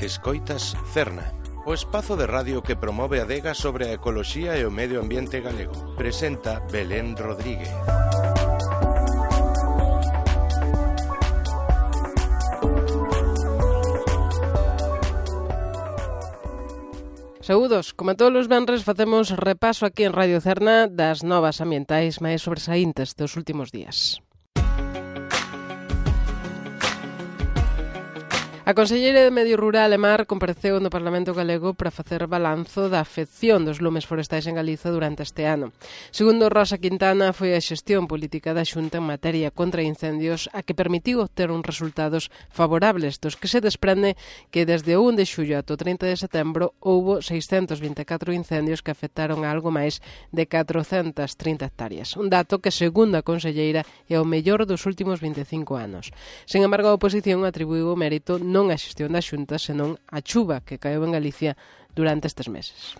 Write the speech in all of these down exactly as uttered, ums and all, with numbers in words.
Escoitas Cerna, o espazo de radio que promove a adega sobre a ecoloxía e o medio ambiente galego. Presenta Belén Rodríguez. Saúdos, como todos os venres facemos repaso aquí en Radio Cerna das novas ambientais máis sobresaíntes dos últimos días. A conselleira de Medio Rural e Mar compareceu no Parlamento Galego para facer balanzo da afección dos lumes forestais en Galiza durante este ano. Segundo Rosa Quintana, foi a xestión política da Xunta en materia contra incendios a que permitiu obter uns resultados favorables, dos que se desprende que desde o un de xullo ata o trinta de setembro houbo seiscentos vinte e catro incendios que afectaron a algo máis de catrocentas trinta hectáreas. Un dato que, segundo a conselleira, é o mellor dos últimos vinte e cinco anos. Sen embargo, a oposición atribuiu o mérito non a xestión da Xunta, senón a chuva que caeu en Galicia durante estes meses.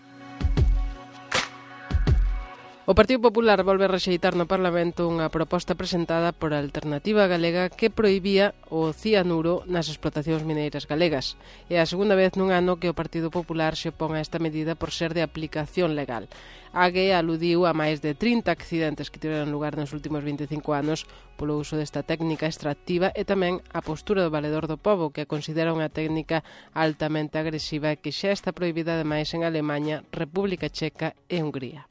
O Partido Popular volve a rexeitar no Parlamento unha proposta presentada por a Alternativa Galega que prohibía o cianuro nas explotacións mineiras galegas. É a segunda vez nun ano que o Partido Popular se opón a esta medida por ser de aplicación legal. A G E aludiu a máis de trinta accidentes que tiveron lugar nos últimos vinte e cinco anos polo uso desta técnica extractiva e tamén a postura do Valedor do Pobo, que a considera unha técnica altamente agresiva e que xa está prohibida ademais en Alemaña, República Checa e Hungría.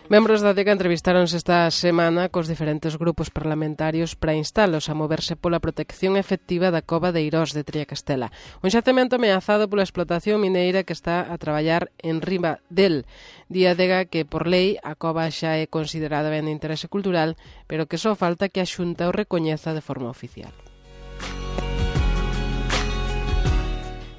Membros da adega entrevistáronse esta semana cos diferentes grupos parlamentarios para instalos a moverse pola protección efectiva da cova de Eirós de Triacastela, un xacemento ameazado pola explotación mineira que está a traballar en riba del. Di a adega que, por lei, a cova xa é considerada ben de interese cultural, pero que só falta que a Xunta o recoñeza de forma oficial.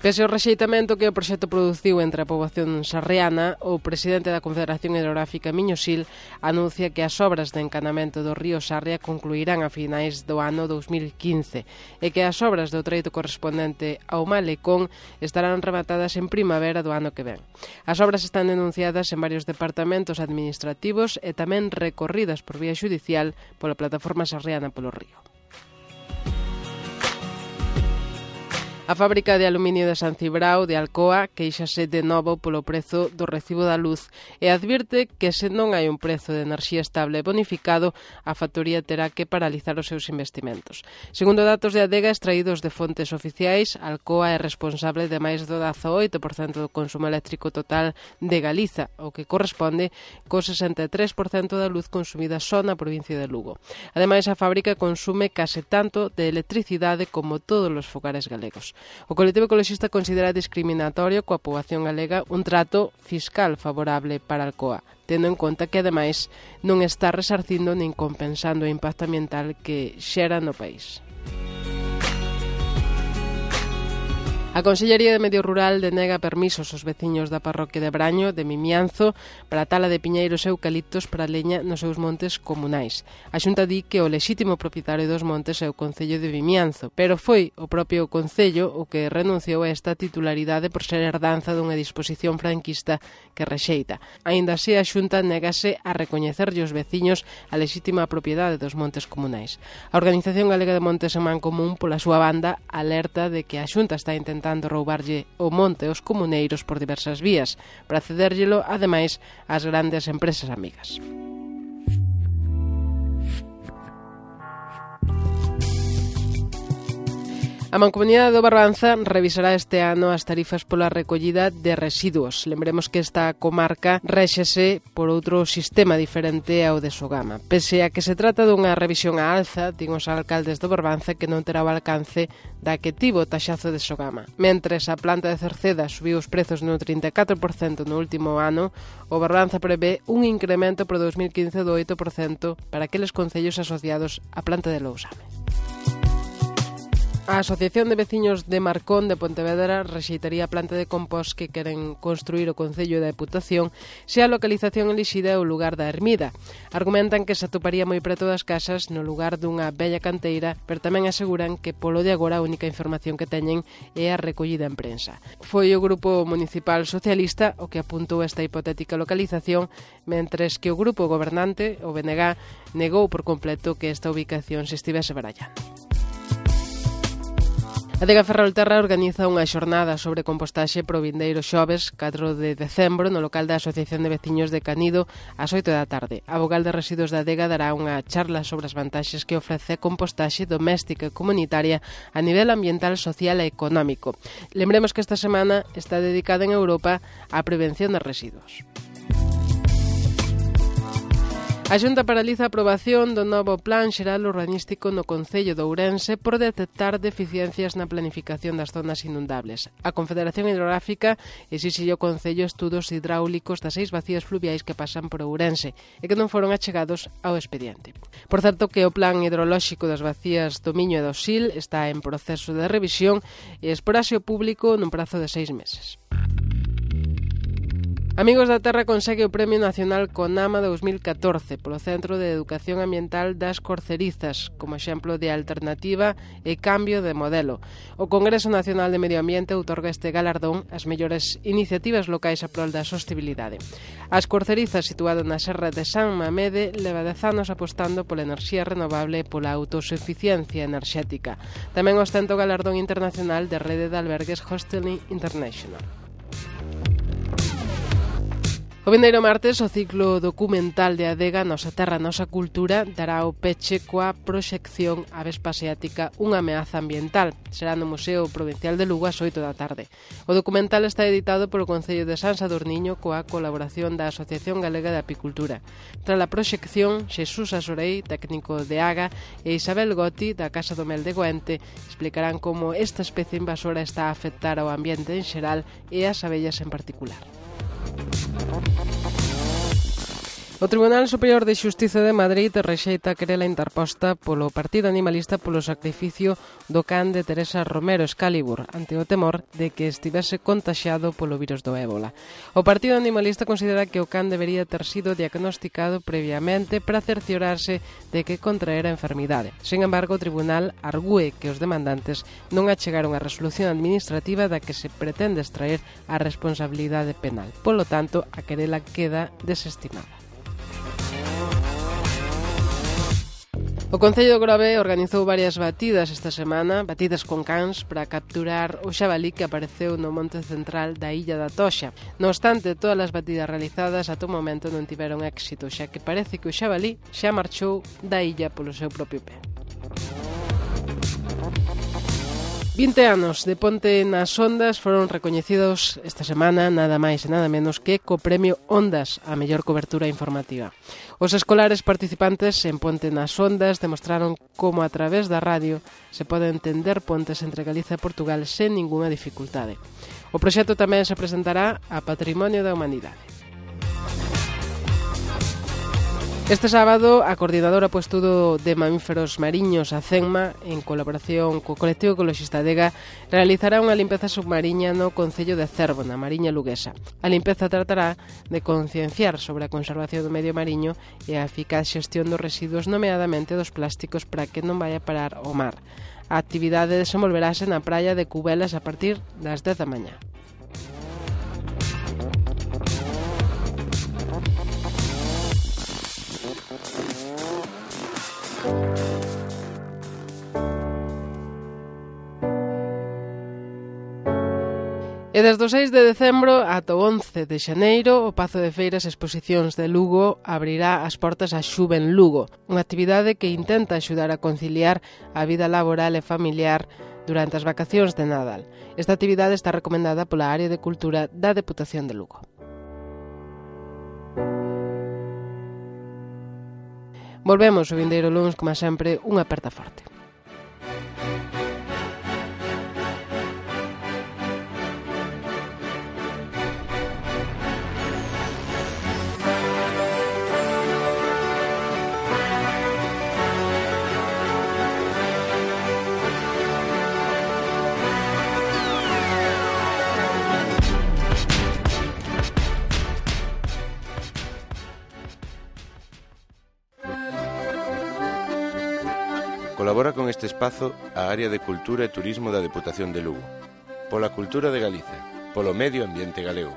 Pese ao rexeitamento que o proxecto produciu entre a poboación sarriana, o presidente da Confederación Hidrográfica Miño-Sil anuncia que as obras de encanamento do río Sarria concluirán a finais do ano dous mil quince e que as obras do treito correspondente ao Malecón estarán rematadas en primavera do ano que ven. As obras están denunciadas en varios departamentos administrativos e tamén recorridas por vía xudicial pola plataforma sarriana polo río. A fábrica de aluminio de San Cibrao de Alcoa queixase de novo polo prezo do recibo da luz e advirte que se non hai un prezo de enerxía estable bonificado, a factoría terá que paralizar os seus investimentos. Segundo datos de adega extraídos de fontes oficiais, Alcoa é responsable de máis do dezaoito por cento do consumo eléctrico total de Galiza, o que corresponde co sesenta e tres por cento da luz consumida só na provincia de Lugo. Ademais, a fábrica consume case tanto de electricidade como todos os fogares galegos. O colectivo ecoloxista considera discriminatorio coa poboación galega un trato fiscal favorable para Alcoa, tendo en conta que, ademais, non está resarcindo nin compensando o impacto ambiental que xera no país. A Consellería de Medio Rural denega permisos aos veciños da parroquia de Braño, de Mimianzo, para a tala de piñeiros e eucaliptos para leña nos seus montes comunais. A Xunta di que o lexítimo propietario dos montes é o Concello de Vimianzo, pero foi o propio Concello o que renunciou a esta titularidade por ser herdanza dunha disposición franquista que rexeita. Aínda así, a Xunta negase a recoñecerlle aos veciños a lexítima propiedade dos montes comunais. A Organización Galega de Montes en Mancomún, pola súa banda, alerta de que a Xunta está intentando intentando roubarlle o monte aos comuneiros por diversas vías, para cedérllelo, ademais, ás grandes empresas amigas. A Mancomunidade do Barbanza revisará este ano as tarifas pola recollida de residuos. Lembremos que esta comarca réxese por outro sistema diferente ao de Sogama. Pese a que se trata dunha revisión á alza, din os alcaldes do Barbanza que non terá o alcance da que tivo o taxazo de Sogama. Mentres a planta de Cerceda subiu os prezos no trinta e catro por cento no último ano, o Barbanza prevé un incremento para dous mil quince do oito por cento para aqueles concellos asociados á planta de Lousame. A Asociación de Veciños de Marcón de Pontevedra rexeitaría a planta de compost que queren construir o Concello da Deputación se a localización elixida é o lugar da ermida. Argumentan que se atoparía moi preto das casas no lugar dunha bella canteira, pero tamén aseguran que polo de agora a única información que teñen é a recollida en prensa. Foi o Grupo Municipal Socialista o que apuntou esta hipotética localización, mentres que o grupo gobernante, o B N G, negou por completo que esta ubicación se estivese barallando. A Adega Ferrolterra organiza unha xornada sobre compostaxe pro vindeiro xoves catro de decembro no local da Asociación de Veciños de Canido ás oito da tarde. A vogal de residuos da adega dará unha charla sobre as vantaxes que ofrece a compostaxe doméstica e comunitaria a nivel ambiental, social e económico. Lembremos que esta semana está dedicada en Europa á prevención de residuos. A Xunta paraliza a aprobación do novo Plan Xeral Urbanístico no Concello de Ourense por detectar deficiencias na planificación das zonas inundables. A Confederación Hidrográfica exixe ao Concello estudos hidráulicos das seis vacías fluviais que pasan por Ourense e que non foron achegados ao expediente. Por certo que o Plan Hidrolóxico das vacías do Miño e do Sil está en proceso de revisión e esporase ao público nun prazo de seis meses. Amigos da Terra consegue o Premio Nacional CONAMA dous mil catorce polo Centro de Educación Ambiental das Corcerizas como exemplo de alternativa e cambio de modelo. O Congreso Nacional de Medio Ambiente outorga este galardón ás mellores iniciativas locais a prol da sostibilidade. As Corcerizas, situado na Serra de San Mamede, leva dez anos apostando pola enerxía renovable e pola autosuficiencia enerxética. Tamén ostenta o galardón internacional de Rede de Albergues Hosteling International. O vindeiro martes, o ciclo documental de Adega Nosa Terra, Nosa Cultura dará o peche coa proxección Avespa Asiática, unha ameaza ambiental. Será no Museo Provincial de Lugo ás oito da tarde. O documental está editado polo Concello de San Sadurniño coa colaboración da Asociación Galega de Apicultura. Tras a proxección, Xesús Asorei, técnico de Aga, e Isabel Goti, da Casa do Mel de Goente, explicarán como esta especie invasora está a afectar ao ambiente en xeral e ás abellas en particular. O Tribunal Superior de Xustiza de Madrid rexeita a querela interposta polo Partido Animalista polo sacrificio do can de Teresa Romero Excalibur ante o temor de que estivese contaxiado polo virus do ébola. O Partido Animalista considera que o can debería ter sido diagnosticado previamente para cerciorarse de que contraera a enfermidade. Sin embargo, o Tribunal argúe que os demandantes non achegaron a resolución administrativa da que se pretende extraer a responsabilidade penal. Polo tanto, a querela queda desestimada. O Concello de Grove organizou varias batidas esta semana, batidas con cans para capturar o xabalí que apareceu no monte central da Illa da Toxa. No obstante, todas as batidas realizadas ata o momento non tiveron éxito, xa que parece que o xabalí xa marchou da illa polo seu propio pé. vinte anos de Ponte nas Ondas foron recoñecidos esta semana nada máis e nada menos que co Premio Ondas a mellor cobertura informativa. Os escolares participantes en Ponte nas Ondas demostraron como a través da radio se pode entender pontes entre Galiza e Portugal sen ningunha dificultade. O proxecto tamén se presentará a Patrimonio da Humanidade. Este sábado, a Coordinadora po Estudo de Mamíferos Mariños, a CENMA, en colaboración co colectivo ecoloxista Adega, realizará unha limpeza submarina no Concello de Cervo, na Mariña Luguesa. A limpeza tratará de concienciar sobre a conservación do medio mariño e a eficaz xestión dos residuos, nomeadamente dos plásticos, para que non vaya a parar ao mar. A actividade desenvolverase na praia de Cubelas a partir das dez da mañá. E desde o seis de decembro ata o once de xaneiro, o Pazo de Feiras e Exposicións de Lugo abrirá as portas a Xuven Lugo, unha actividade que intenta axudar a conciliar a vida laboral e familiar durante as vacacións de Nadal. Esta actividade está recomendada pola Área de Cultura da Deputación de Lugo. Volvemos o vindeiro luns, como sempre, unha aperta forte. Colabora con este espazo a Área de Cultura e Turismo da Deputación de Lugo. Pola cultura de Galiza, polo medio ambiente galego.